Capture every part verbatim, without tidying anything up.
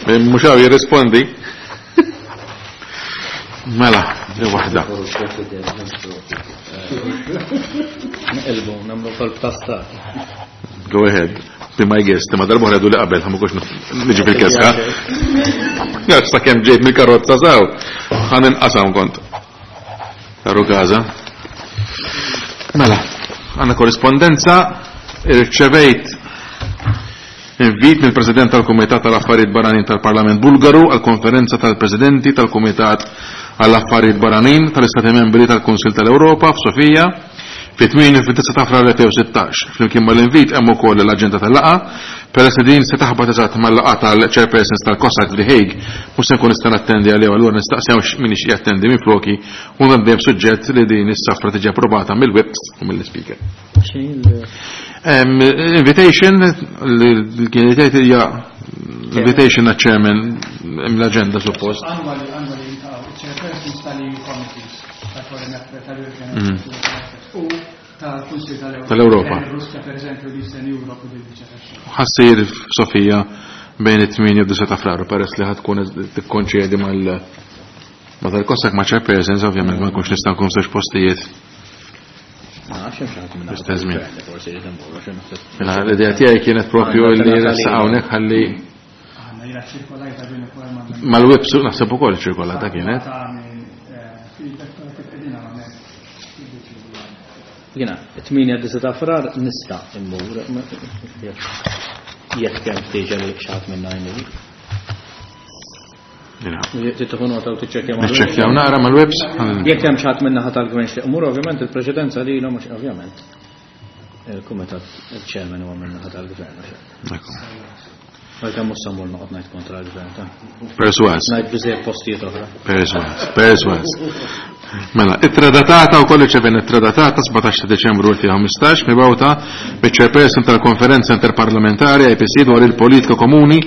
Mhux hawn jirrispondi. Mela, li waħda. Nqilbu, nagħmlu kolb ta' stat. Go ahead. Be my guest, ma darba ħredu li qabel, ħa mhux niġi fil-keska. Għax sakemm ġejt mill-karozza saw, ħa ninqasam kont. Taru kaza. Mela, għandna korrispondenza, irċevejt invit mill-President tal-Kumitat tal-Affarijiet Barranin tal-Parlament Bulgaru għal konferenza tal-Presidenti tal-Kumitat għall-Affarijiet Barranin tal-Istati Membri tal-Kunsil tal-Ewropa f'Sofija fit-tmienja fit-tisa ta' Frar elfejn u sittax. Flimkien mal-invit hemm ukoll l-aġenda tal-laqgħa. Peress li din se taħbat eżatt mal-laqgħa tal-chairpersons tal-COSAC f'The Hague, mhux se nkun nista' nattendi għalih, allura nistaqsew min ixtieq jattendi minn floki u nabdejjem suġġett li din is-safra tiġi approvata mill-whips u mill-speaker. Um, invitation li kienet hija invitation għal chairman, l-agenda suppost. Annwali, annwali jiltaqgħu, chairpersons tal-E U committees, tal-Foreign Affairs, tal-European Mhm. Affairs u tal-Kunsil tal-Ewropa. Tal-Ewropa. Russja, per eżempju, l-Eastern Europe u viċeversa. Ħa ssir f'Sofija bejn it-tmienja u disgħa ta' Frar, peress li ħa tkun tikkoinċidi mal ma tal-COSAC ma' chairpersons, ovvjament ma nkunx nista' nkun f'żewġ postijiet. L-istess żmien. Mela, l-idea tiegħi kienet propju li ressaq hawnhekk ħalli Għandna jira ċirkolajta din ukoll ma' mal-whips naħseb ukoll ċirkolata kienet. Feedback kif qegħdin hawnhekk. Jiena, it-tmienja ta' Frar nista' immur, jekk hemm ħtieġa li xi ħadd minna jmur. Jiena. Tieħu nota u tiċċekkja mal- Niċċekkjaw naqra mal-whips. Jekk hemm xi ħadd minna ħadd tal-gvern xi jmur, ovvjament il-preċedenza lilhom, mhux ovvjament. Il-kumitat, il-chairman huwa minna ħadd tal-gvern. Ekku. Għalkemm mhux se mmur noqgħod ngħid kontra l-gvern ta' Perswas. ngħid biżejjed postijiet oħra. Perswas, perswas. Mela, ittra datata u kollu ċeven ittra datata sbatax ta' Deċembru elfejn u ħmistax mibgħuta mill-chairperson tal-Konferenza Interparlamentari I P C dwar il-Politika Komuni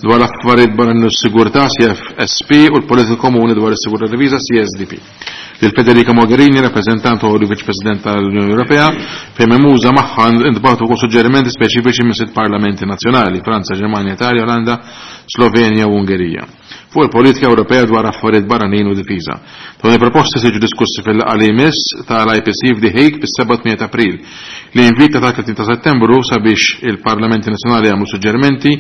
dwar l-Affarijiet Barranin u s-Sigurtà C F S P u l-Politika Komuni dwar is-Sigurtà Diviża C S D P. Lil Federica Mogherini, rappresentant u Viċ President tal-Unjoni Ewropea, fejn memuża magħha intbagħtu wkoll suġġerimenti speċifiċi minn sitt parlamenti nazzjonali: Franza, Ġermanja, Italja, Olanda, Slovenja u Ungerija, fuq il-politika Ewropea dwar affarijiet barranin u difiża. Dawn il-proposti se jiġu diskussi fil-laqgħa li jmiss tal-I P C f'The Hague fis-seba' ta' April. L-invit ta' tletin ta' Settembru sabiex il-Parlamenti Nazzjonali jagħmlu suġġerimenti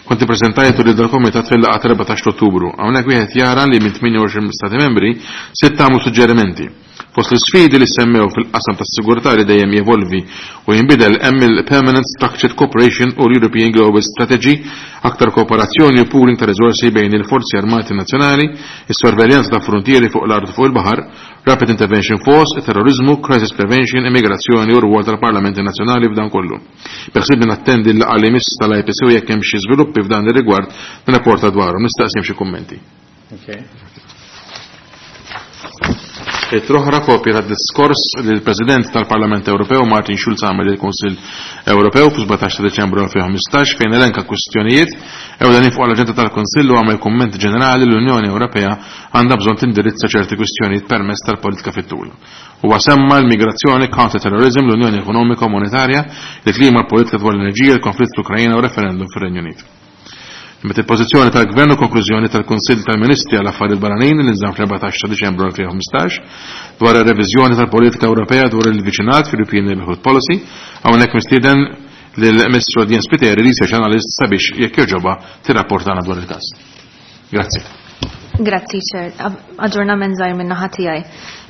kont ippreżentajtu lil dal-Komitat fil-laqgħa erbatax Ottubru. Hawnhekk wieħed jara li minn tmienja u għoxrin Stati membri sitta għamlu suġġerimenti. Fost l-sfidi li semmew fil-qasam tas-sigurtà li dejjem jevolvi u jinbidel hemm il-Permanent Structured Cooperation u l-European Global Strategy, aktar kooperazzjoni u pooling ta' riżorsi bejn il-forzi armati nazzjonali, is-sorveljanza ta' frontieri fuq l-art u fuq il-baħar, Rapid Intervention Force, terrorizmu, crisis prevention, immigrazzjoni u rwol tal-Parlamenti Nazzjonali f'dan kollu. Beħsibni nattendi l-laqgħa li miss tal-I P C u jekk hemm xi żviluppi f'dan ir-rigward nirrapporta dwarhom. Nistaqsim xi kummenti. Okay. Ittra oħra, kopja ta' diskors li l-President tal-Parlament Ewropew Martin Schulz għamel il-Kunsill Ewropew fi sbatax ta' Deċembru elfejn u ħmistax, fejn elenka kwistjonijiet ewlenin fuq l-aġenda tal-Kunsill u għamel kumment ġenerali l-Unjoni Ewropea għandha bżonn tindirizza ċerti kwistjonijiet permezz tal-politika fit-tul. Huwa semma l-migrazzjoni, counter-terrorism, l-Unjoni Ekonomika u Monetarja, il-klima, l-politika dwar l-enerġija, il-konflitt fl-Ukrajina u referendum fir-Renju Unit. Met il-pożizzjoni tal-Gvern u konklużjoni tal-Kunsill tal-Ministri għal affarijiet Barranin li nżamm fl-erbatax ta' Diċembru elfejn u ħmistax dwar ir-reviżjoni tal-politika Ewropea dwar il-viċinat fil-European Neighborhood Policy, hawnhekk mistieden lill-Ministru Jens Spiteri, Research Analyst, sabiex jekk jogħġobha tirrapportana dwar il-każ. Grazzi. Grazzi, Chair. Aġġornament żgħir minn naħa tiegħi.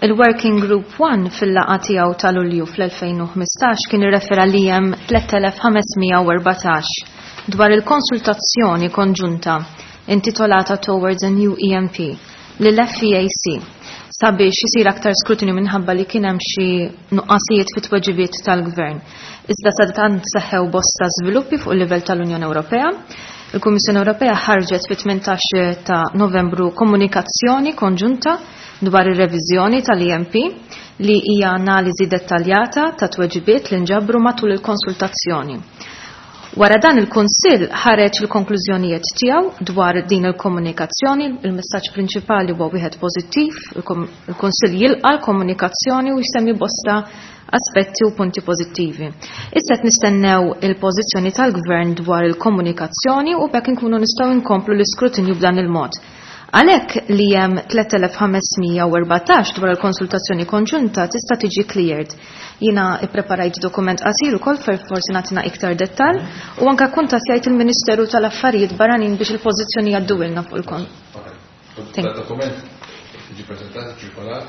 Il-Working Group one fil-laqgħa tiegħu ta' Lulju fl-elfejn u ħmistax kien irrefera li hemm tliet elef u ħames mija u erbatax dwar il-konsultazzjoni konġunta intitolata Towards a New E N P lill-F E A C sabiex isir aktar skrutinju minħabba li kien hemm xi nuqqasijiet fit-tweġibiet tal-gvern. Iżda sadattant seħħew bosta żviluppi fuq il-livell tal-Unjoni Ewropea. Il-Kummissjoni Ewropea ħarġet fit-tmintax ta' Novembru komunikazzjoni konġunta dwar ir-reviżjoni tal-E N P li hija analiżi dettaljata ta' tweġibiet li nġabru matul il-konsultazzjoni. Wara dan, il-Kunsill ħareġ il-konklużjonijiet tiegħu dwar din il-komunikazzjoni. Il-messaġġ prinċipali huwa wieħed pożittiv, il-Kunsill jilqa' l-komunikazzjoni u jsemmi bosta aspetti u punti pożittivi. Issa qed nistennew il-pożizzjoni tal-Gvern dwar il-komunikazzjoni u bekk inkunu nistgħu nkomplu l-iskrutinju b'dan il-mod. Għalhekk li hemm tliet elef ħames mija u erbatax dwar il-konsultazzjoni konġunta tista' tiġi cleared. Jiena ippreparajt dokument qasir ukoll fer forsi nagħtina iktar dettall u anke kuntattjajt il-Ministeru tal-Affarijiet Barranin biex il-pożizzjoni jgħadduilna fuq il-kon. Dokument ġi preżentat, ċirkolat?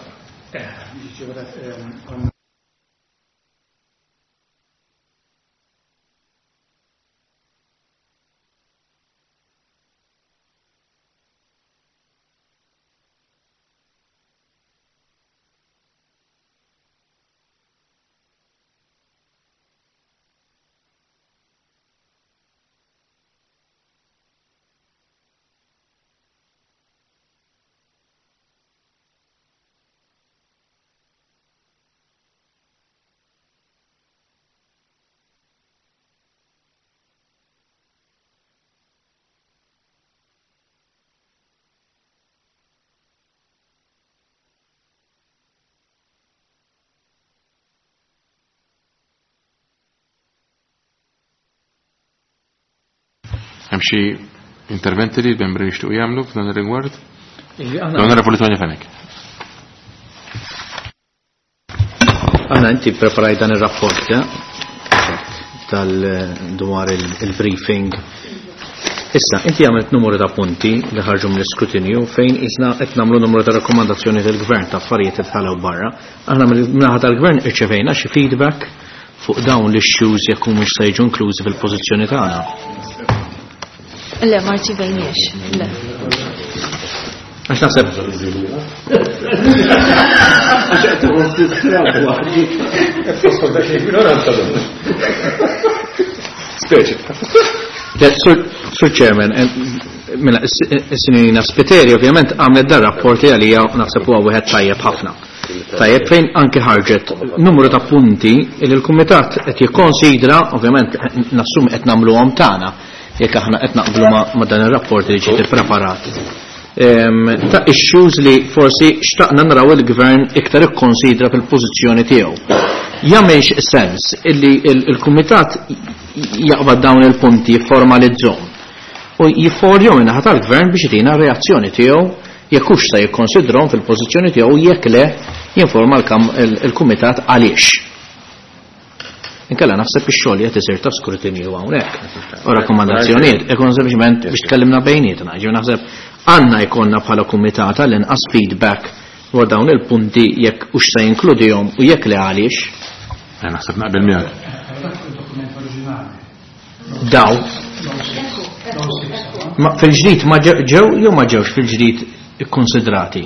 Hemm xi interventi li l-membri jixtiequ jagħmlu f'dan ir-rigward? L-Onorevoli Tony Fenech. Għanna inti preparajt dan ir-rapport tal-dwar il-briefing. Issa, inti għamilt numru ta' punti li ħarġu mill-iskrutinju fejn isna qed nagħmlu numru ta' rakkomandazzjoni tal-gvern ta' affarijiet li tħallew barra. Aħna mill-naħa tal-gvern irċevejna xi feedback fuq dawn l-issues jekk humiex se jiġu inklużi fil-pożizzjoni tagħna. Le, ma rċivejniex, le. Għax naħseb. Sur Chairman, mela, is-sinjorina Spiteri ovvjament għamlet dar rapport li għalija naħseb huwa wieħed tajjeb ħafna. Tajjeb fejn anke ħarġet numru ta' punti li l-Kumitat qed jikkonsidra, ovvjament nassum qed nagħmluhom tagħna jekk aħna qed naqblu ma' dan ir-rapport li ġiet ippreparat. Ta' issues li forsi xtaqna naraw il-gvern iktar ikkonsidra fil-pożizzjoni tiegħu. Jagħmilx sens illi il-Kumitat jaqbad dawn il-punti jifformalizzhom u jifforjhom in-naħa tal-gvern biex jtina reazzjoni tiegħu jekk hux se jikkonsidrhom fil-pożizzjoni tiegħu jekk le jinforma il-Kumitat għaliex. Inkella naħseb ix-xogħol qed isir ta' skrutinju hawnhekk. U rakkomandazzjonijiet ikun sempliċement biex tkellimna bejnietna. Ġifieri naħseb għandna jkollna bħala kumitat għall-inqas feedback dwar dawn il-punti jekk hux se jinkludihom u jekk le għaliex. Eh, naħseb naqbel miegħek. Daw. Ma fil-ġdid ma ġew jew ma ġewx fil-ġdid ikkonsidrati?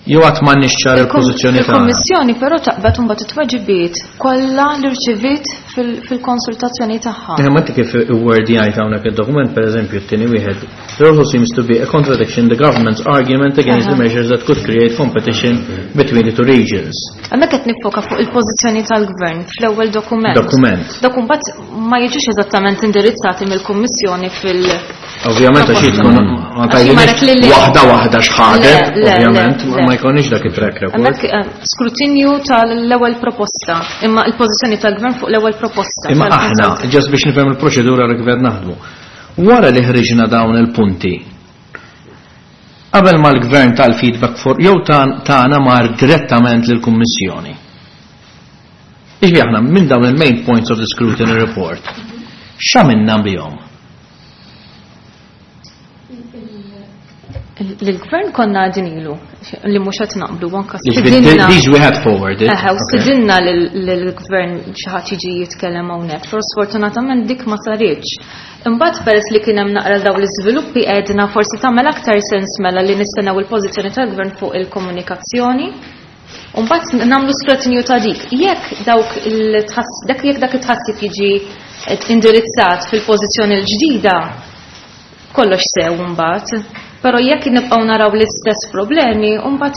Jew għad m'għandniex ċar il-pożizzjoni tagħna. Il-Kummissjoni però taqbad imbagħad it-tweġibiet kollha li rċiviet fil-konsultazzjoni tagħha. Eh, ma inti kif iwordjajt hawnhekk id-dokument, pereżempju t-tieni wieħed, there also seems to be a contradiction in the government's argument against the measures that could create competition between the two regions. Hemmhekk qed nifoka fuq il-pożizzjoni tal-gvern fl-ewwel dokument. Dokument. Dak imbagħad ma jiġux eżattament indirizzati mill-Kummissjoni fil- Ovvjament għax tkun ma tgħidilniex waħda waħda x'ħadet, ovvjament ma jkollniex dak it-track record. Hemmhekk skrutinju tal-ewwel proposta, imma l-pożizzjoni tal-gvern fuq l-ewwel proposta. Imma aħna, ġast biex nifhem il-proċedura li kif qed naħdmu. Wara li ħriġna dawn il-punti, qabel ma l-gvern tal-feedback for jew tagħna mar direttament lill-Kummissjoni. Iġbi aħna minn dawn il-main points of the scrutiny report, x'għamilna bihom? L-gvern konna għadin ilu li mhux qed naqblu anke Jiġifieri, stidinna. These we had forwarded. Eħe, u Okay. stidinna lill-gvern xi ħadd jiġi jitkellem hawnhekk, però sfortunatament dik ma saritx. Imbagħad peress li kien hemm naqra dawn l-iżviluppi għedna forsi tagħmel aktar sens mela li nistennew il-pożizzjoni tal-gvern fuq il-komunikazzjoni. U mbagħad nagħmlu skrutinju ta' dik. Jekk dawk il-tħass, dak jekk dak it-tħassib jiġi indirizzat fil-pożizzjoni l-ġdida, kollox sew mbagħad. Però jekk nibqgħu naraw l-istess problemi, mbagħad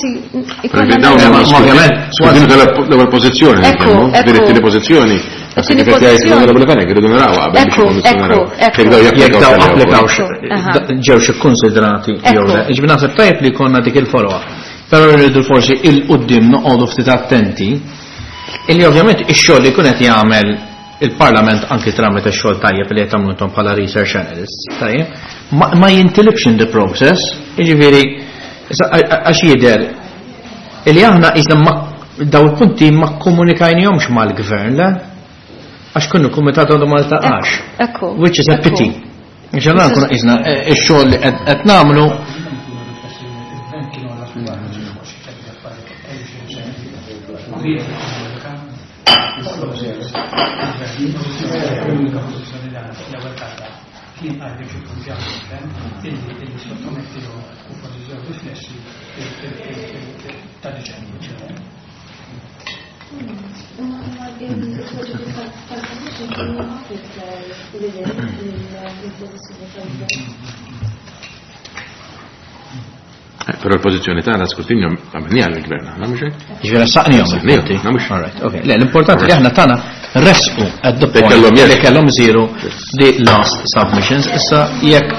ikollna Dawn naraw. huma Ovvjament, skrutinju tal-ewwel pożizzjoni, Ekku, nitkellmu, ekku. din it-tieni pożizzjoni. It-tieni Kif qed jgħid pożizzjoni. l-Onorevoli Fenech, irridu naraw qabel biex Ekku, ikunu nistgħu ekku, naraw. ekku. Jekk daw Jekk daw japplikaw applikawx, Ekku, aha. ġewx ikkonsidrati jew le. Ekku. Jiġifieri naħseb tajjeb li jkollna dik il-follow-up. Però rridu forsi il-qudiem noqogħdu ftit attenti Illi ovvjament ix-xogħol li jkun qed jagħmel il-Parlament anki tramite x-xogħol tajjeb li qed tagħmlu intom bħala research analysts, tajjeb, ma, ma jintilibx in the process, jiġifieri issa, a- a- għax jidher illi aħna qisna ma daw il-punti ma kkomunikajnihomx mal-gvern, le? Għax kienu kumitat għadu ma ltaqax. Ekku. Which is a ekku. pity. Għax allura nkunu qisna eh, ix-xogħol li qed qed nagħmlu Il-gvern kienu għalla fil-għarġi fuq xi ċerti affarijiet, kellu xi riservi. U ried jikkomunika il-proċess. Il-gvern l-unika pożizzjoni li għandna l-ewwel darba kien qal biex ikun ġa gvern illi illi sottomettilhom u forsi ġew riflessi ta' Diċembru. Imma il-tweġibiet tal-Commission kienu iktar lil mill-pożizzjoni tal-gvern. Eh, Però l-pożizzjoni tagħna skrutinju għamilniha għall-gvern, aħna mhux hekk? Ġifieri saqnihom il-punti. Saqnihom, mhux. All right, okay. Le, l-importanti li aħna tagħna resqu at the point kellhom li jekk. kellhom isiru the last submissions. Issa jekk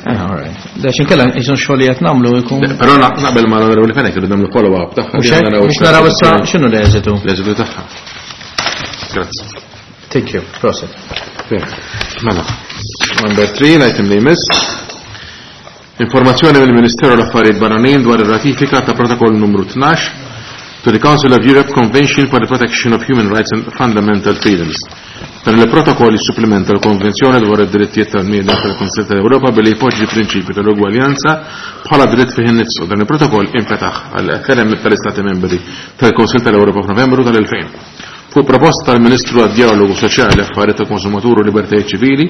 Eh, all right. Da xinkella jisun xogħol li qed nagħmlu jkun. Le, Però na- naqbel ma l-Onorevoli Fenech irridu nagħmlu follow-up tagħha. Mhux hekk? Biex naraw issa x'inhu l-eżitu. L-eżitu tagħha. Grazzi. Thank you. Prosit. Bene. Mela. Number three, l-item li jmiss. Informazzjoni mill-Ministeru l-Affarijiet Barranin dwar ir-ratifika ta' protokoll numru tnax to the Council of Europe Convention for the Protection of Human Rights and Fundamental Freedoms. Dan il-protokoll jissupplementa l-Konvenzjoni dwar id-drittijiet tal-bniedem tal-Kunsill tal-Ewropa billi jpoġġi prinċipju tal-ugwaljanza bħala dritt fih innifsu. Dan il-protokoll infetaħ għal ferem tal-Istati membri tal-Kunsill tal-Ewropa f'Novembru tal-elfejn. Fuq proposta tal-Ministru għad-Dialogu Soċjali, Affarijiet tal-Konsumatur u Libertajiet Ċivili,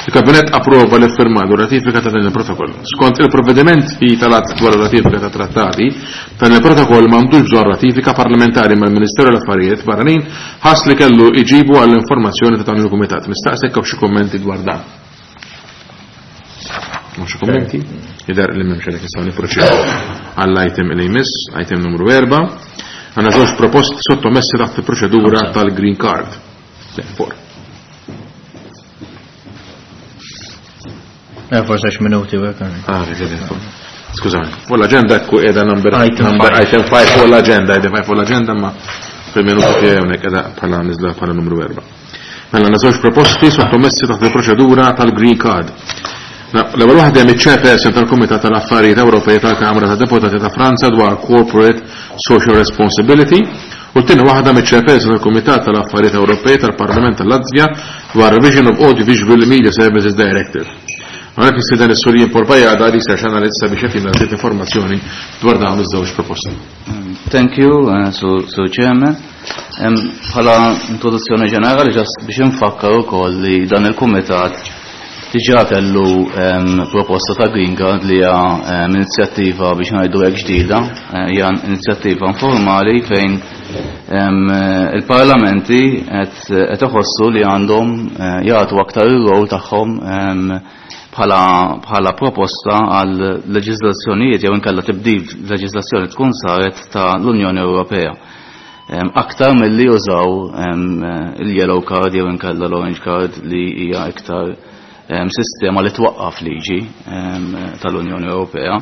il-Kabinett approva l-iffirmar u ratifika ta' dan il-protokoll. Skont il-provvedimenti tal-att dwar ratifika ta' trattati, dan il-protokoll m'għandux bżonn ratifika parlamentari, mal-Ministeru l-Affarijiet Barranin ħass li kellu iġibu għall-informazzjoni ta' dan il-Kumitat. Nistaqsek hawn xi kummenti dwar dan. Mhux xi kummenti? Jidher li m'hemmx, għalhekk nistgħu nipproċedu għall-item li jmiss, item numru erba'. Għandna żewġ proposti sottomessi taħt il-proċedura tal-Green Card. Le, four. Eh, forse xi minuti u hekk. Ah, vedi, skużani. Fuq l-agenda ekku qiegħda number Item number five. Item five fuq l-agenda, item five fuq l-agenda, ma fil-minuti tiegħi hawnhekk qiegħda bħala niżla bħala numru erba'. Mela għandna żewġ proposti sottomessi taħt il-proċedura tal-Green Card. Na, l-ewwel waħda hemm iċ-chairperson tal-Kumitat tal-Affarijiet Ewropej tal-Kamra tad Deputati ta' Franza dwar Corporate Social Responsibility u t-tieni waħda miċ-chairperson tal-Kumitat tal-Affarijiet Ewropej tal-Parlament tal-Latvja dwar Revision of Audiovisual Media Services Directive. Għalhekk nistieden is-Sur Ian Paul Bajada, research analyst, sabiex jagħtina ftit informazzjoni dwar dawn iż-żewġ proposti. Thank you, uh, so, so Chairman. Um, Bħala introduzzjoni ġenerali, just biex infakkar ukoll li dan il-kumitat diġà kellu um, proposta ta' Green Card li hija um, inizjattiva biex ngħidu hekk ġdida, eh, hija inizjattiva informali fejn um, il-parlamenti qed qed iħossu li għandhom eh, jagħtu aktar ir-rol tagħhom um, bħala bħala proposta għal leġiżlazzjonijiet jew inkella tibdil leġiżlazzjoni tkun saret ta' l-Unjoni Ewropea. Em, aktar milli jużaw em, il-yellow card jew inkella l-orange card li hija iktar em, sistema li twaqqaf liġi em, tal-Unjoni Ewropea.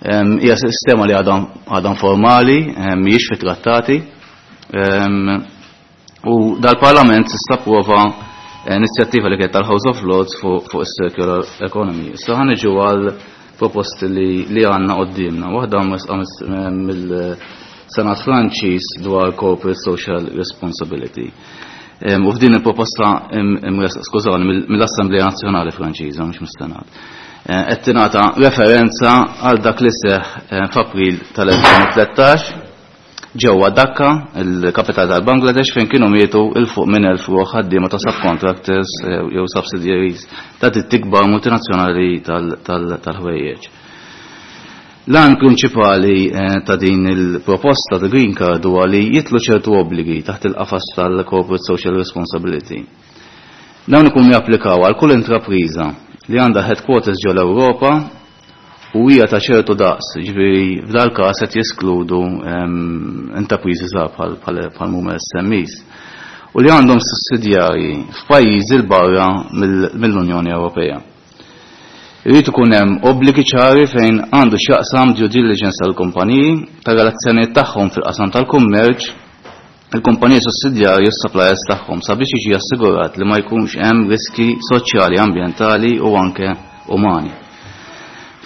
Em, Hija sistema li għadha għadha formali, em, mhijiex fit-trattati. Em, U dal-Parlament issa approva inizjattiva li kienet tal-House of Lords fuq fuq is-circular economy. Issa ħa niġu għal proposti li, li għandna qudiemna. Waħda mill-Senat Franċiż dwar Corporate Social Responsibility. Em, U f'din il-proposta im- imres- skużawni, mill- mill-Assemblea Nazzjonali Franċiża, mhux mis-Senat. Eh, Qed tingħata referenza għal dak li seħ eh, f'April tal-elfejn u tlettax ġewwa Dhaka, il-kapitali tal-Bangladesh, fejn kienu mietu il fuq minn elf ruħ ħaddiema ta' subcontractors eh, jew subsidiaries ta' ditti kbar multinazzjonali tal-ħwejjeġ. L-għan prinċipali eh, ta' din il-proposta ta' Green Card huwa li jitlu ċertu obbligi taħt il-qafas tal-Corporate Social Responsibility. Dawn ikunu japplikaw għal kull intrapriża li għandha headquarters ġol Ewropa u hija ta' ċertu daqs, ġifieri f'dal każ qed jeskludu em, intrapriżi żgħar bħal bħal bħal huma S M Es u li għandhom sussidjarji f'pajjiżi 'l barra mill- mill-Unjoni Ewropea. Irid ikun hemm obbligi ċari fejn għandu x'jaqsam due diligence tal-kumpaniji, ta' relazzjonijiet tagħhom fil-qasam tal-kummerċ il-kumpaniji sussidjarji u s-suppliers tagħhom sabiex jiġi assigurat li ma jkunx hemm riski soċjali, ambjentali u anke umani.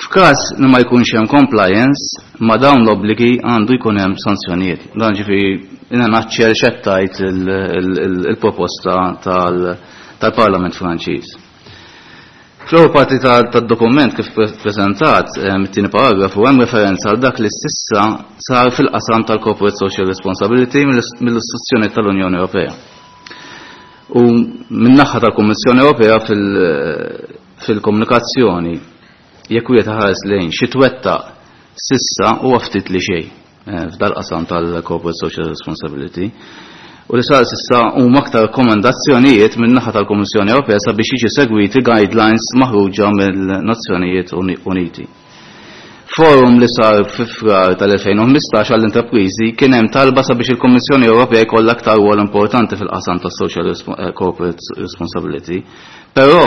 F'każ li ma jkunx hemm compliance ma' dawn l-obbligi għandu jkun hemm sanzjonijiet. Dan ġifieri jiena naċċel xettajt il-proposta tal-Parlament Franċiż. Fl-ewwel parti tad-dokument kif preżentat mit-tieni paragrafu hemm referenza għal dak li s'issa sar fil-qasam tal-Corporate Social Responsibility mill-istituzzjoni tal-Unjoni Ewropea. U min-naħa tal-Kummissjoni Ewropea fil-komunikazzjoni jekk wieħed ħares lejn xi twettaq s'issa huwa ftit li xejn f'dal-qasam tal-Corporate Social Responsibility. U li sar s'issa huma aktar rakkomandazzjonijiet min-naħa tal-Kummissjoni Ewropea sabiex jiġi segwiti guidelines maħruġa mill-Nazzjonijiet Uniti. Forum li sar fi Frar tal-elfejn u ħmistax għall-intrapriżi kien hemm talba sabiex il-Kummissjoni Ewropea jkollha aktar rwol importanti fil-qasam tas-social corporate responsibility, però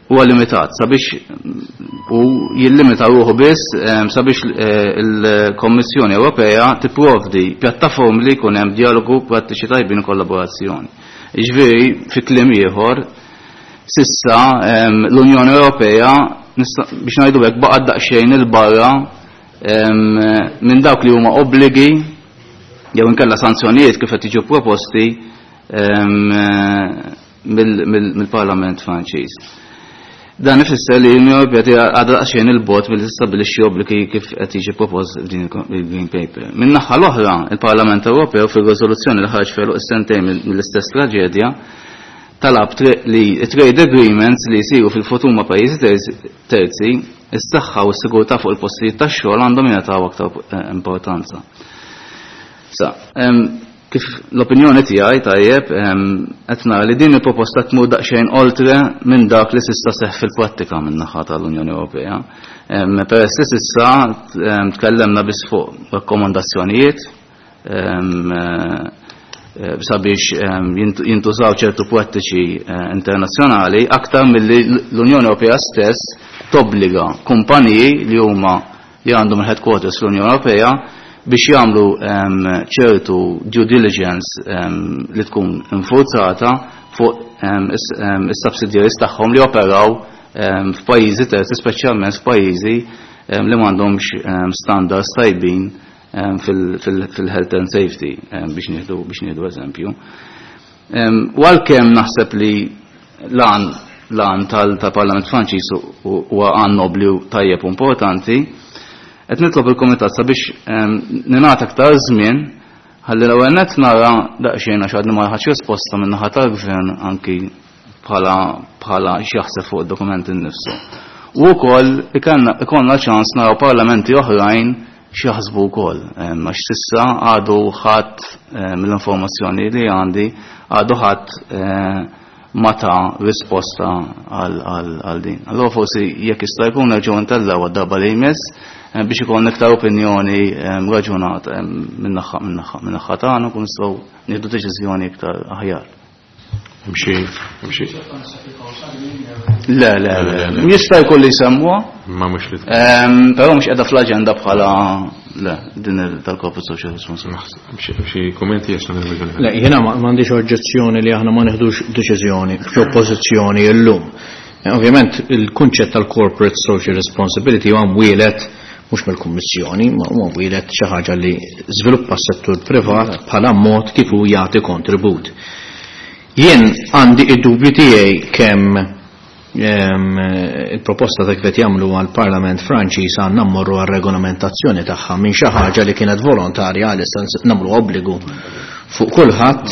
huwa limitat sabiex u jillimita ruħu biss sabiex il-Kommissjoni Ewropea tipprovdi pjattaformi li jkun hemm dialogu, prattiċi tajbin u kollaborazzjoni. Jiġifieri fi kliem ieħor sissa l-Unjoni Ewropea biex ngħidu hekk baqgħet daqsxejn il-barra minn dawk li huma obbligi jew inkella sanzjonijiet kif qed jiġu proposti mill-Parlament Franċiż. Dan ifisser li l-Unjoni Ewropea għadha daqsxejn il-bogħod milli tistabbilixxi obbligi kif qed jiġi propost f'din il-Green Paper. Min-naħa l-oħra, il-Parlament Ewropew fir-riżoluzzjoni li ħarġ f'għeluq is-sentejn mill-istess traġedja talab li trade agreements li jsiru fil-futur ma' pajjiżi terzi, is-saħħa u s-sigurtà fuq il-postijiet tax-xogħol għandhom jingħataw aktar importanza. Sa, kif l-opinjoni tiegħi tajjeb, qed nara li din il-proposta tmur daqsxejn oltre minn dak li s'issa seħħ fil-prattika min-naħa tal-Unjoni Ewropea. Peress li s'issa tkellemna biss fuq rakkomandazzjonijiet sabiex jintużaw ċertu prattiċi internazzjonali aktar milli l-Unjoni Ewropea stess tobbliga kumpaniji li huma li għandhom il-headquarters fl-Unjoni Ewropea biex jagħmlu ċertu due diligence li tkun infurzata fuq is-subsidiaries tagħhom li operaw f'pajjiżi terzi, speċjalment f'pajjiżi li m'għandhomx standards tajbin fil-health and safety, biex nieħdu biex nieħdu eżempju. U għalkemm naħseb li l-għan l-għan tal-Parlament Franċiż huwa għan nobli u tajjeb u importanti, qed nitlob il-Kumitat sabiex ningħata aktar żmien ħalli l-ewwel nett nara daqsxejn għax għadni ma ħadx risposta minn naħa tal-Gvern anki bħala bħala x'jaħseb fuq id-dokument innifsu. U wkoll ikollna ċans naraw parlamenti oħrajn x'jaħsbu wkoll, għax s'issa għadu ħadd mill-informazzjoni li għandi għadu ħadd ma ta risposta għal din. Allora forsi jekk jista' jkun nerġgħu ntellgħu għad-darba li jmiss biex ikun iktar opinjoni raġunata min-naħa tagħna kun nistgħu nieħdu deċiżjoni iktar aħjar. Mxi, mxi. Le, le, le. Jista' jkun li jsemmuha. Ma mhux li. Però mhux qiegħda fl-aġenda bħala le din tal-Corporate Social Responsibility. Xi kummenti għax nagħmel Le, jiena m'għandix oġġezzjoni li aħna ma neħdux deċiżjoni f'oppożizzjoni llum. Ovvjament il-kunċett tal-Corporate Social Responsibility huwa mwielet mhux mill-Kummissjoni, ma huwa mwielet xi ħaġa li żviluppa s-settur privat bħala mod kif hu jagħti kontribut. Jien għandi id-dubju tiegħi kemm il-proposta ta' kif qed jagħmlu għall-Parlament Franċiż għandna mmorru għar-regolamentazzjoni tagħha minn xi ħaġa li kienet volontarja għalissa nagħmlu obbligu fuq kulħadd,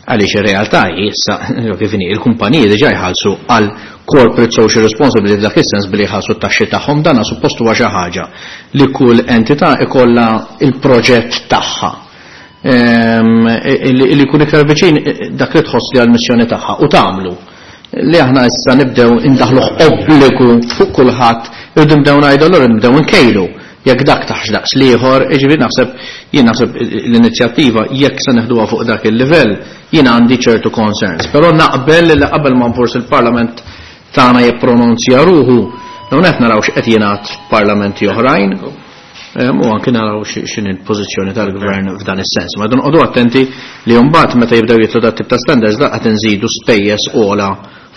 għaliex ir-realtà hi issa kif inhi il-kumpaniji diġà jħallsu għal corporate social responsibility dak is-sens billi jħallsu t-taxxi tagħhom, dan suppost huwa xi ħaġa li kull entità ikollha il-proġett tagħha. Li jkun iktar viċin dak li tħoss li għall-missjoni tagħha u tagħmlu. Li aħna issa nibdew indaħluh obbligu fuq kulħadd, irridu nibdew ngħidu allura nibdew nkejlu jekk dak taħx daqs l-ieħor, jiġifieri naħseb jien naħseb l-inizjattiva jekk se neħduha fuq dak il-livell jien għandi ċertu concerns. Però naqbel li qabel ma forsi il-Parlament tagħna jippronunzja ruħu, dawn qed naraw x'qed jingħad f'parlamenti oħrajn. U anke naraw x'inhi l-pożizzjoni tal-gvern f'dan is-sens. Ma noqogħdu attenti li mbagħad meta jibdew jitlu dat tip ta' standards laqgħet inżidu spejjeż ogħla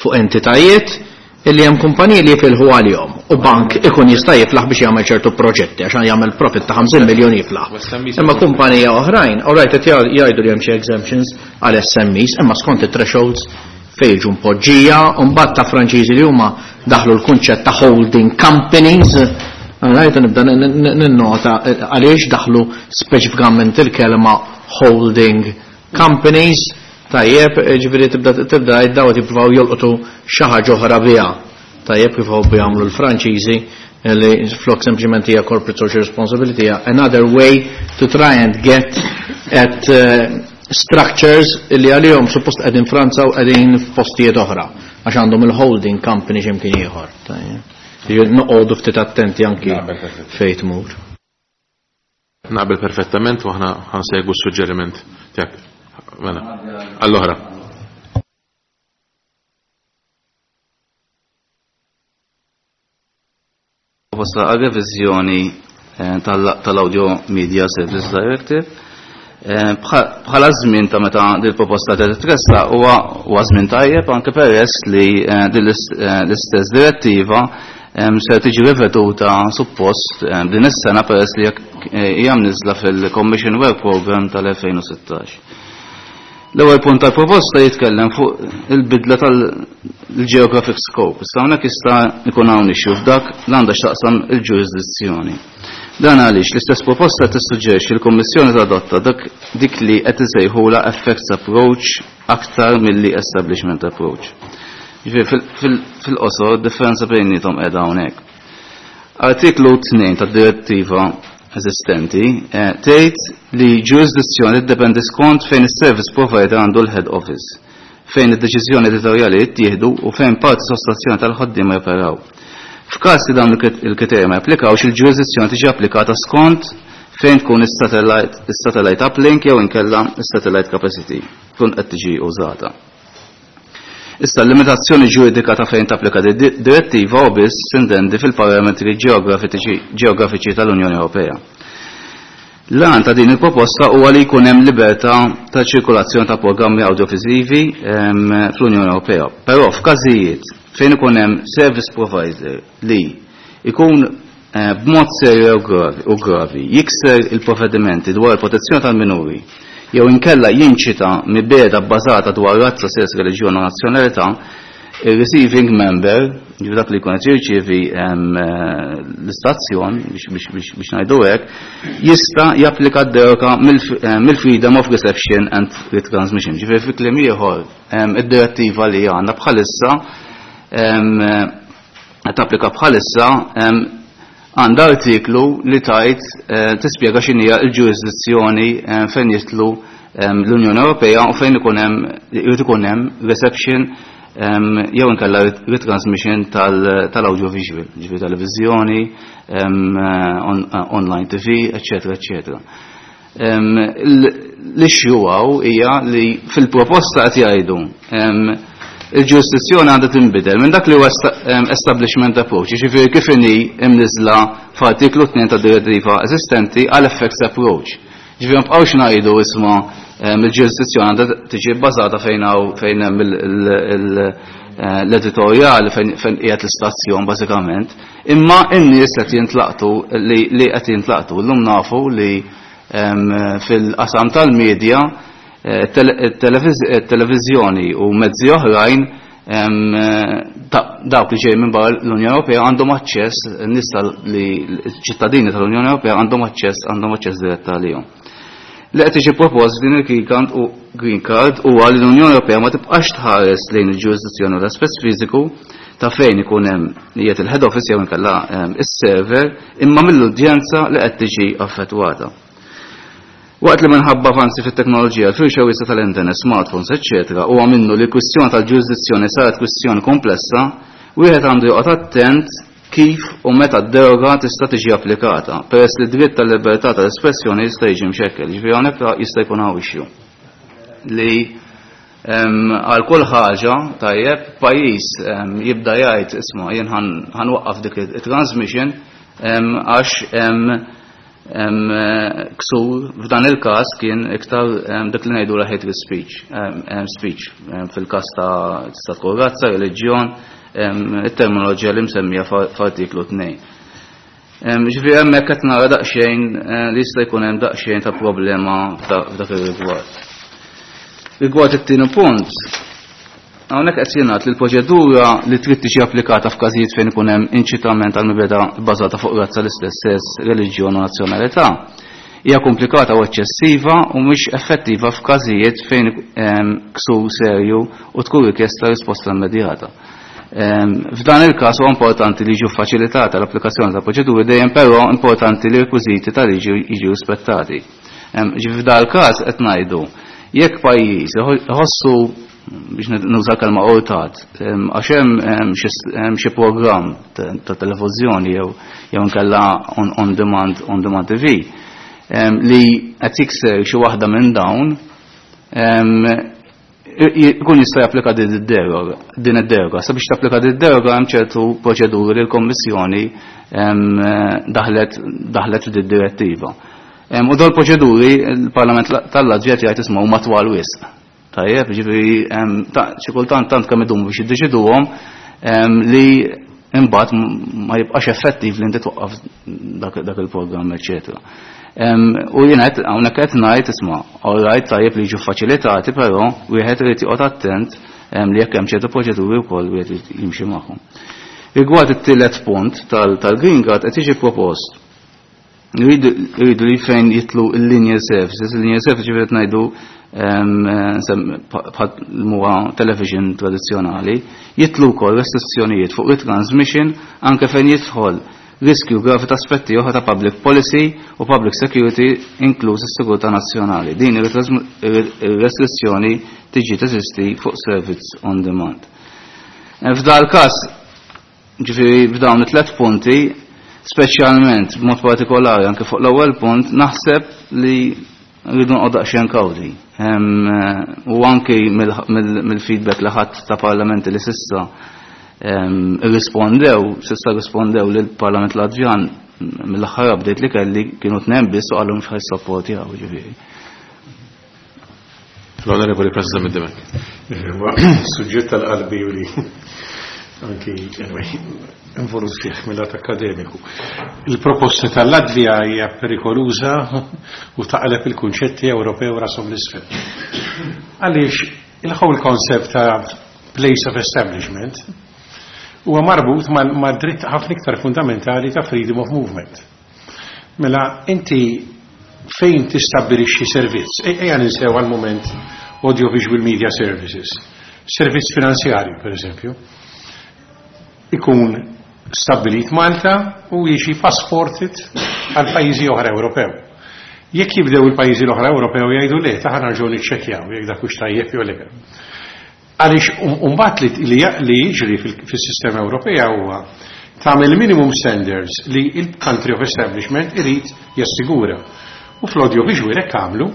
fuq entitajiet illi hemm kumpaniji li jifilħu għalihom u bank ikun jista' jiflaħ biex jagħmel ċertu proġetti għax jagħmel profit ta' ħamsin miljun jiflaħ. Imma kumpanija oħrajn, all right, qed jgħidu li hemm xi exemptions għal S M Es, imma skont it-thresholds fejn jiġu mpoġġija, u mbagħad ta' Franċiżi li huma daħlu l-kunċett ta' holding companies. Għalajt nibda ninnota għaliex daħlu speċifikament il-kelma holding companies, tajjeb, ġifieri tibda tibda jiddaw jippruvaw jolqtu xi ħaġa oħra biha. Tajjeb kif hobbu jagħmlu l-Franċiżi li flok sempliċement hija corporate social responsibility hija another way to try and get at, uh, structures li għalihom suppost qegħdin Franza u qegħdin f'postijiet oħra għax għandhom il-holding company x'imkien ieħor. Tajjeb. Noqogħdu ftit attenti anki fejn tmur. Naqbel perfettament u aħna ħansegwu s-suġġeriment tiegħek. Mela, għall-oħra. Proposta għal reviżjoni tal-Audio Media Service Directive. Bħala żmien ta' meta din proposta qed titressaq huwa żmien tajjeb anke peress li din l-istess direttiva se tiġi riveduta suppost din is-sena peress li hija mniżla fil-Commission Work Program tal-elfejn u sittax. L-ewwel punt tal-proposta jitkellem fuq il-bidla tal-geographic scope. Issa hawnhekk jista' jkun hawn issue f'dak li għandha x'taqsam il-ġurisdizzjoni. Dan għaliex l-istess proposta tissuġġerixxi l-Kummissjoni tadotta dak dik li qed isejħulha effects approach aktar milli establishment approach. Ġifieri fil-qosor differenza bejniethom qiegħda hawnhekk. Artiklu tnejn tad-direttiva eżistenti tgħid li ġurisdizzjoni tiddependi skont fejn is-service provider għandu l-head office, fejn id-deċiżjoni editorjali jittieħdu u fejn parti sostanzjali tal-ħaddiema joperaw. F'każ li dawn il-kriterji ma japplikawx, il-ġurisdizzjoni tiġi applikata skont fejn tkun is-satellite uplink jew inkella is-satellite capacity tkun qed tiġi użata. Issa l-limitazzjoni ġuridika ta' fejn tapplika direttiva u biss sintendi fil-parametri ġeografiċi tal-Unjoni Ewropea. L-għan ta' din il-proposta huwa li jkun hemm libertà ta' ċirkolazzjoni ta' programmi audiovisivi fl-Unjoni Ewropea. Però f'każijiet fejn ikun hemm service provider li ikun b'mod serju u gravi jikser il-provvedimenti dwar il-protezzjoni tal-minuri jew inkella jinċita mibeda bbażata dwar razza, sess, reliġjon u nazzjonalità, il-receiving member, ġifieri dak li jkun qed jirċievi l-istazzjon biex ngħidu hekk, jista' japplika d-deroga mill-freedom of reception and retransmission. Ġifieri fi kliem ieħor, id-direttiva li għandna bħalissa qed tapplika bħalissa għandha artiklu li tajt tispjega x'inhija l-ġurisdizzjoni fejn jitlu l-Unjoni Ewropea u fejn ikun hemm irid ikun hemm reception jew inkella retransmission tal-audiovisual, ġifieri televiżjoni, online T V, eċetera, eċetera. L-issue hawn hija li fil-proposta qed jgħidu il-ġurisdizzjoni għandha tinbidel minn dak li huwa establishment approach, jiġifieri kif inhi imniżla f'artiklu tnejn tad-direttiva eżistenti għal effects approach. Ġifieri ma nbqgħux ngħidu isma' il-ġurisdizzjoni għandha tiġi bbażata fejn hawn fejn hemm l-editorjali fejn qiegħed l-istazzjon bażikament, imma n-nies qed jintlaqtu li qed jintlaqtu. Llum nafu li fil-qasam tal-medja televiżjoni u mezzi oħrajn dawk li ġej minn barra l-Unjoni Ewropea għandhom aċċess, n-nies li ċittadini tal-Unjoni Ewropea għandhom aċċess, għandhom aċċess dirett għalihom. Li qed tiġi propost din il-Green Card u Green Card huwa li l-Unjoni Ewropea ma tibqax tħares lejn il-ġurisdizzjoni u l-aspett fiżiku ta' fejn ikun hemm qiegħed il-head office jew inkella is-server, imma mill-udjenza li qed tiġi affettwata. Waqt li minħabba avanzi fit-teknoloġija, l-firxa wiesa tal-internet, smartphones, eċċetera, huwa minnu li l-kwistjoni tal-ġurisdizzjoni saret kwistjoni komplessa, wieħed għandu joqgħod attent kif u meta d-deroga tista' tiġi applikata, peress li d-dritt tal-libertà tal-espressjoni jista' jiġi mxekkel, ġifieri hawnhekk jista' jkun hawn issue. Li għal kull ħaġa tajjeb pajjiż jibda jgħid isma' jien ħanwaqqaf dik it-transmission għax Ksur f'dan il-każ kien iktar dak li ngħidu hate speech, speech fil-każ ta' tista' tkun razza, reliġjon, it-terminoloġija li msemmija f'artiklu tnejn. Ġifieri hemmhekk qed nara daqsxejn li jista' jkun hemm daqsxejn ta' problema f'dak ir-rigward. Rigward it-tieni punt, hawnhekk qed jingħad li l-proċedura li trid tiġi applikata f'każijiet fejn ikun hemm inċitament għal mibegħda bbażata fuq razza, l-istess sess, reliġjon u nazzjonalità hija komplikata u eċċessiva u mhux effettiva f'każijiet fejn ksur serju u tkun rikjesta risposta immedjata. F'dan il-każ huwa importanti li jiġu faċilitata l-applikazzjoni ta' proċeduri dejjem, però importanti li rekwiżiti ta' liġi jiġu rispettati. Ġifieri f'dan il-każ qed ngħidu jekk pajjiż iħossu, biex nuża kelma urtat, għax hemm xi programm ta' televiżjoni jew jew inkella on demand on demand T V li qed jikser xi waħda minn dawn, jkun jista' japplika din id-deroga. Din id-deroga. Sabiex tapplika din id-deroga hemm ċertu proċeduri li l-Kommissjoni daħlet daħlet f'din direttiva. U dawn proċeduri il-Parlament tal-Latvja jgħid isma' huma twal wisq. Tajjeb, ġifieri xi kultant tant kemm idumu biex jiddeċiduhom li imbagħad ma jibqax effettiv li inti twaqqaf dak il-programm, eċetera. U jien qed hawnhekk qed ngħid isma' all right, tajjeb li jiġu faċilitati, però wieħed irid joqgħod attent li jekk hemm ċertu proċeduri wkoll wieħed jimxi magħhom. Rigward it-tielet punt tal-Green Card, qed jiġi propost jridu li fejn jidħlu il-linear services, il-linear services ġifieri qed ngħidu bħal huwa television tradizzjonali, jidħlu wkoll restrizzjonijiet fuq it-transmission anke fejn jidħol riskju gravi ta' aspetti oħra ta' public policy u public security, inkluż is-sigurtà nazzjonali. Din ir-restrizzjoni tiġi teżisti fuq service on demand. F'dal każ, ġifieri f'dawn it-tlet punti, speċjalment b'mod partikolari anke fuq l-ewwel punt, naħseb li rridu noqgħod daqsxejn kawti. U anke mill-feedback li ħadd ta' parlamenti li s'issa irrispondew, s'issa rispondew lill-Parlament Latvjan, mill-aħħar update li kelli kienu tnejn biss u qalhom x'ħa jissapportjaw, ġifieri. L-Onorevoli President Demek. Suġġett tal-qalbi u li anki anyway, involut fih mill-lat akademiku. Il-proposta tal-Latvija hija perikoluża u taqleb il-kunċetti Ewropew rashom l-isfel. Għaliex il-whole concept ta' place of establishment huwa marbut ma' dritt ħafna iktar fundamentali ta' freedom of movement. Mela inti fejn tistabbilixxi servizz, ejja ninsew għal-moment audiovisual media services, servizz finanzjarju per eżempju, ikun stabbilit Malta u jiġi passported għal pajjiżi oħra Ewropew. Jekk jibdew il-pajjiżi l-oħra Ewropew jgħidu le, ta' nerġgħu niċċekkjaw jekk dak hux tajjeb jew le. Għaliex mbagħad li li jiġri fis-sistema Ewropea huwa tagħmel minimum standards li il-country of establishment irid jassigura. U fl-audiovisual hekk għamlu,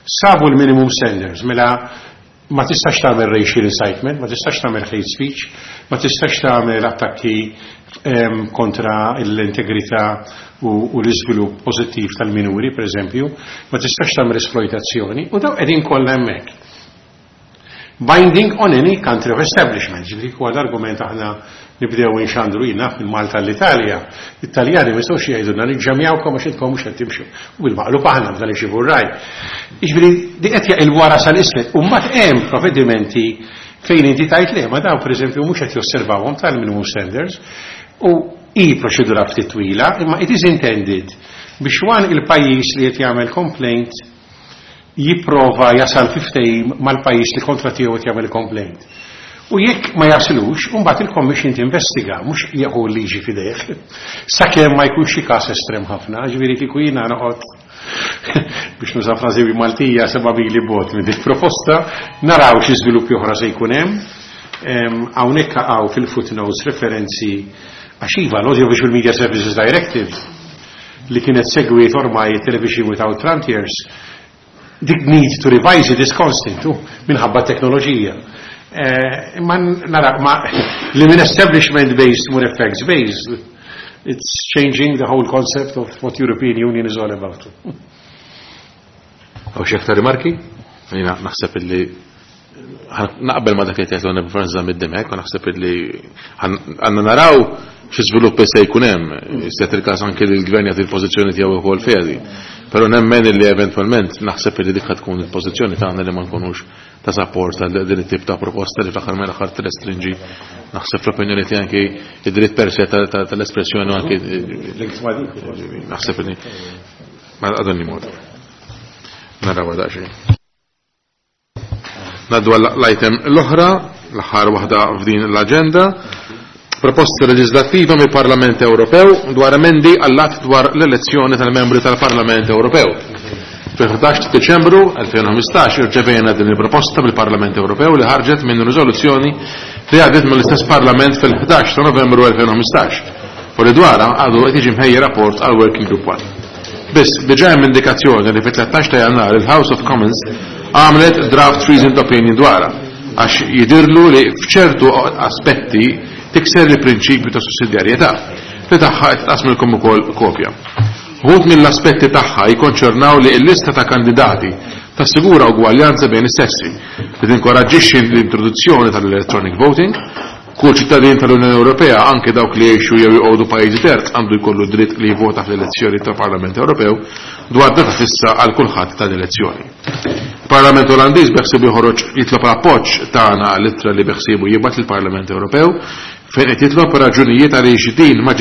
sabu l-minimum standards, mela ma tistax tagħmel racial incitement, ma tistax tagħmel hate speech, ma tistax tagħmel attakki kontra l-integrità u, u l-iżvilupp pożittiv tal-minuri, per eżempju, ma tistax tagħmel esploitazzjoni, u daw qegħdin kollha hemmhekk. Binding on any country of establishment, ġifieri huwa l-argument aħna nibdew inxandru jina minn Malta l-Italja. Italjani ma jistgħux jgħidulna niġġamjawkom għax intkom mhux qed timxu. U bil-maqlub aħna b'dan ixxibu r-raj. Jiġifieri di qed jaqilbu wara sal-isfel. U mbagħad hemm provvedimenti fejn inti tajt le, ma dawn pereżempju mhux qed josservawhom tal-minimum standards u i proċedura ftit twila, imma it is intended biex wan il-pajjiż li qed jagħmel complaint jipprova jasal fi ftehim mal-pajjiż li kontra tiegħu qed jagħmel complaint. U jekk ma jaslux, mbagħad il-Commission tinvestiga, mhux jieħu l-liġi f'idejh. Sakemm ma jkunx xi każ estrem ħafna, ġifieri kieku jiena noqgħod, biex nuża frażi Maltija, seba' mili bogħod minn dik proposta, naraw xi żviluppi oħra se jkun hemm. Hawnhekk hawn fil-footnotes referenzi għax iva l-Audiovisual Media Services Directive li kienet segwit ormai Television Without Frontiers, the need to revise it is constant minħabba teknoloġija. Eh, imma nara, ma li minn establishment based more effects based, It's changing the whole concept of what European Union is all about. Hawn xi aktar rimarki? Jiena naħseb illi naqbel ma dak li tgħid l Franz mid-Dimech, u naħseb illi għandna naraw xi żviluppi se jkun hemm, se il-każ anke li l-gvern jagħti l-pożizzjoni tiegħu wkoll fiha di. Però nemmen illi eventwalment naħseb illi dik tkun il-pożizzjoni tagħna li ma nkunux ta' support għal din it-tip ta' proposta li fl-aħħar mill-aħħar tirrestrinġi naħseb fl-opinjoni tiegħi anke id-dritt per se tal-espressjoni anke naħseb li ma għadni mod. Naraw daqsxejn. Naddu l-item l-oħra, l-aħħar waħda f'din l-aġenda, proposta leġislattiva mill-Parlament Ewropew dwar emendi għall-att dwar l-elezzjoni tal-membri tal-Parlament Ewropew. Fil-ħdax ta' Diċembru elfejn u ħmistax irċevejna din il-proposta mill-Parlament Ewropew li ħarġet minn riżoluzzjoni li għaddiet mill-istess Parlament fil-ħdax ta' Novembru elfejn u ħmistax u li dwarha għadu qed jiġi mħejji rapport għal Working Group one. Biss, diġà hemm indikazzjoni li fit-tlettax ta' Jannar il-House of Commons għamlet draft reasoned opinion dwarha għax jidirlu li f'ċertu aspetti tikser il-prinċipju ta' sussidjarjetà li tagħha qed tqasmilkom ukoll kopja. Wħud mill-aspetti tagħha jikkonċernaw li l-lista ta' kandidati tassigura ugwaljanza bejn is-sessi, li tinkoraġġixxi l-introduzzjoni tal-electronic voting, kull ċittadin tal-Unjoni Ewropea, anke dawk li jgħixu jew joqogħdu pajjiżi terz, għandu jkollu dritt li jivvota fl-elezzjoni tal-Parlament Ewropew dwar data fissa għal kulħadd tal-elezzjoni. Il-Parlament Olandiż beħsiebu joħroġ jitlob l-appoġġ tagħna għall-ittra li beħsiebu jibgħat lill-Parlament Ewropew fejn qed jitlob raġunijiet għaliex din ma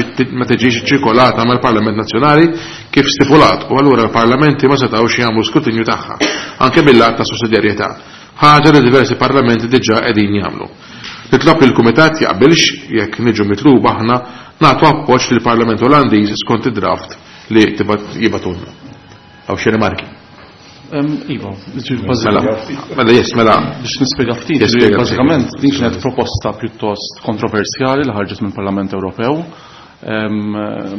tiġix ċirkolata mal-Parlament Nazzjonali kif stipulat u allura l-parlamenti ma setgħux jagħmlu skrutinju tagħha anke mill-att ta' sussidjarjetà, ħaġa li diversi parlamenti diġà qegħdin jagħmlu. Nitlob li l-Kumitat jaqbilx jekk niġu mitluba aħna nagħtu appoġġ lill-Parlament Olandiż skont id-draft li jibgħatulna. Hawn xi rimarki? Iva, Mela, mela, yes, mela. Biex nispjega ftit, bażikament din kienet proposta pjuttost kontroversjali li ħarġet mill-Parlament Ewropew.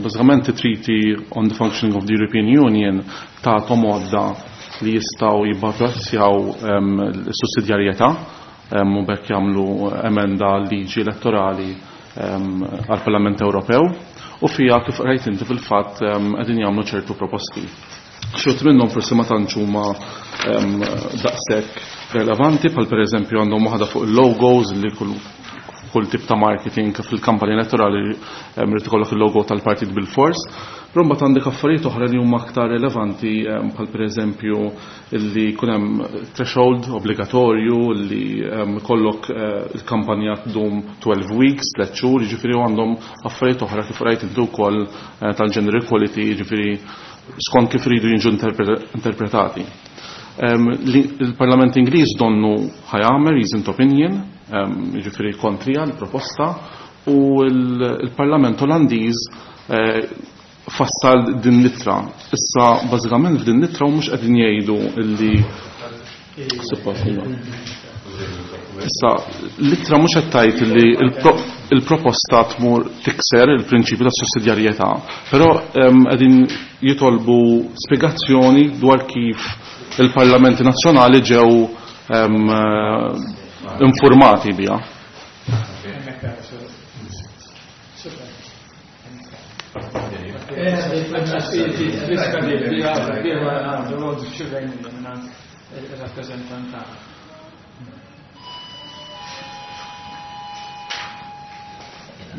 Bażikament it-Treaty on the Functioning of the European Union tagħthom għodda li jistgħu jibbażjaw is-sussidjarjetà u bekk jagħmlu emenda liġi elettorali għall-Parlament Ewropew u fiha kif qrajt inti fil-fatt qegħdin jagħmlu ċertu proposti. Xi minnhom forsi ma tantx huma daqshekk relevanti, bħal pereżempju għandhom waħda fuq il-logos li kull kull tip ta' marketing fil-kampanja elettorali rid ikollok il-logo tal-partit bil-fors. Però mbagħad għandek affarijiet oħra li huma aktar relevanti, bħal pereżempju li jkun hemm threshold obbligatorju li jkollok il-kampanja tdum twelve weeks, tliet xhur, jiġifieri għandhom affarijiet oħra kif rajt intu wkoll tal-gender equality, jiġifieri skont kif iridu jiġu interpretati. Il-Parlament Ingliż donnu ħajamel reasoned opinion, jiġifieri kontrija l-proposta, u l-Parlament Olandiż fassal din l-ittra. Issa bażikament f'din l-ittra u mhux qegħdin jgħidu illi suppost. Issa l-ittra mhux qed tgħid illi il-proposta tmur tikser il-prinċipju ta' sussidjarjetà, però qegħdin jitolbu spjegazzjoni dwar kif il-parlamenti nazzjonali ġew informati biha.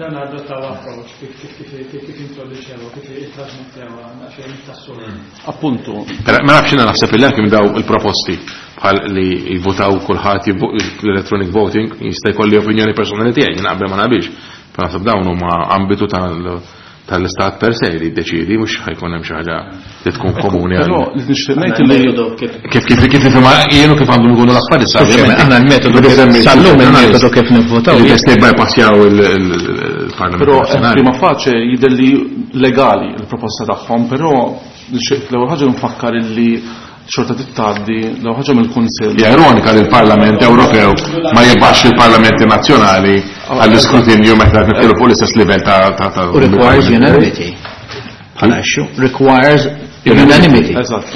Dan adottaw approach kif kif kif kif introduċewa, kif ittrasmettewa, xejn tas-soltu. Appuntu. Ma nafx jiena naħseb illi anke daw il-proposti bħal li jivvotaw kulħadd l-electronic voting jista' jkolli opinjoni personali tiegħi, jien naqbel ma naqbilx. Però naħseb dawn huma ambitu tal-istat per se li jiddeċiedi, mhux ħajkun hemm xi ħaġa li tkun komuni għal. Però li nixtieq ngħid li kif kif kif nifhimha jien u kif għandhom ikunu l-affarijiet sa ovvjament aħna l-metodu sal-lum il-metodu kif nivvotaw. Li tista' jibbypassjaw il-Parlament. Però prima faċe jidher li legali l-proposta tagħhom, però l-ewwel ħaġa nfakkar illi xorta tittgħaddi l-ewwel ħaġa mill-Kunsill. Hija ironika li l-Parlament Ewropew ma jibgħax il-Parlamenti Nazzjonali għall-iskrutinju meta qed nitkellmu fuq l-istess livell ta' ta' Requires unanimity. Bħala issue requires unanimity. Eżatt.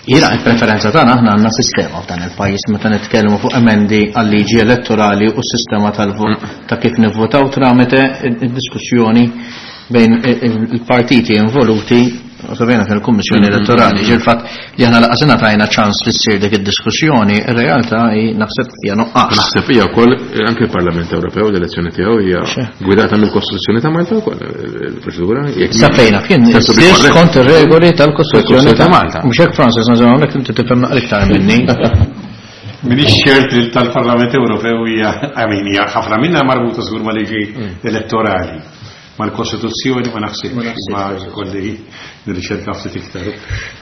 Jiena il-preferenza tagħna, aħna għandna sistema f'dan il-pajjiż meta nitkellmu fuq emendi għal-liġi elettorali u s-sistema tal-vot ta' kif nivvotaw tramite id-diskussjoni bejn il-partiti involuti u fil-Kummissjoni Elettorali. Ġi l-fatt li aħna lanqas ingħatajna ċans li ssir dik id-diskussjoni, ir-realtà hi naħseb hija nuqqas. Naħseb hija wkoll anke il-Parlament Ewropew, l-elezzjoni tiegħu hija gwidata mill-Kostituzzjoni ta' Malta wkoll il-proċedura. Sa fejna fien skont ir-regoli tal-Kostituzzjoni ta' Malta. Mhux hekk, Francis, nażel hawnhekk inti tifhem naqra iktar minni. Minix ċert li tal-Parlament Ewropew hija, I mean, hija ħafna minnha marbuta żgur ma' liġi elettorali. Mal-Kostituzzjoni ma naħsibx, ma kolli nirriċerka ftit iktar.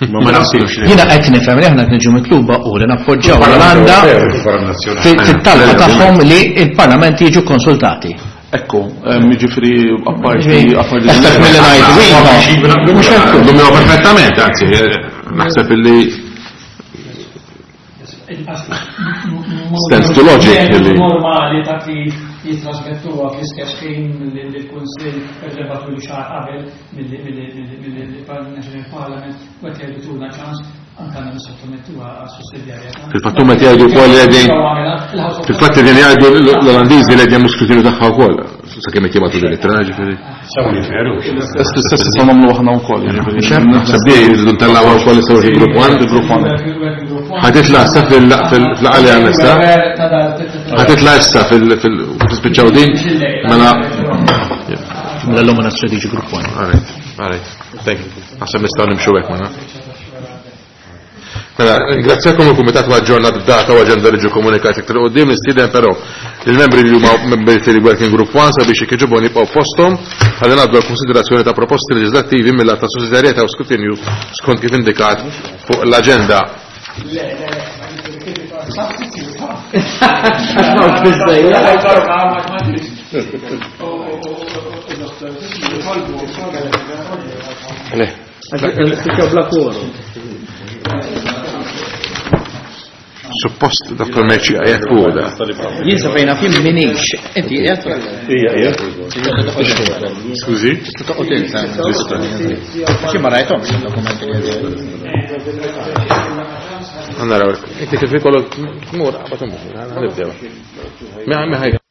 Ma ma naħsibx. Jiena qed nifhem li aħna qed niġu mitluba u li nappoġġjaw l-Olanda fit-talba tagħhom li l-Parlament jiġu konsultati. Ekku, jiġifieri apparti apparti. Eħtef milli ngħidu iva. Mhux hekk, perfettament, anzi, naħseb illi stands to logic li normali ta' kif jitrasmettuha fl-istess ħin lill-Kunsill per li xahar qabel mill-National Parliament u qed jgħidu tuna ċans anke għandna nissottomettuha għas-sussidjarjetà. Fil-fatt huma qed jgħidu wkoll li qegħdin fil-fatt qegħdin jgħidu l-Olandiżi li qegħdin skrutinju tagħha wkoll sakemm qed jibgħatu din it-tra, ġifieri. L-istess nistgħu nagħmlu aħna wkoll, jiġifieri. Naħseb di jridu ntellgħuha wkoll issa working group one. Group one. Ħa titla' issa fil-laqgħa li għandna issa. Ħa titla' issa fil-spiċċaw din mela Mela l-lum għandna strategic group one. All right, all right. Thank you. Naħseb nistgħu nimxu hekk mela. Mela, ringrazzjakom, il-Kumitat ma aġġornat b'data u aġenda li ġew komunikati iktar quddiem. Nistieden però il-membri li huma membri tal-Working Group one sabiex jekk jogħġobhom jibqgħu fosthom ħalli ngħaddu għal konsiderazzjoni ta' proposti leġislattivi mill-att ta' sussidjarjetà u skrutinju skont kif indikat fuq l-aġenda. Le. Suppost Dottor Merci għajat fuq da. Jien sa fejna fim minix. Inti qiegħed? Ija, ija. Skużi? Toqgħod insa. Xi ma rajthomx id-dokumenti li għedin. Għanna raw, inti kif ikollok tmur, qabad imur, nibdew. Mi ħajja.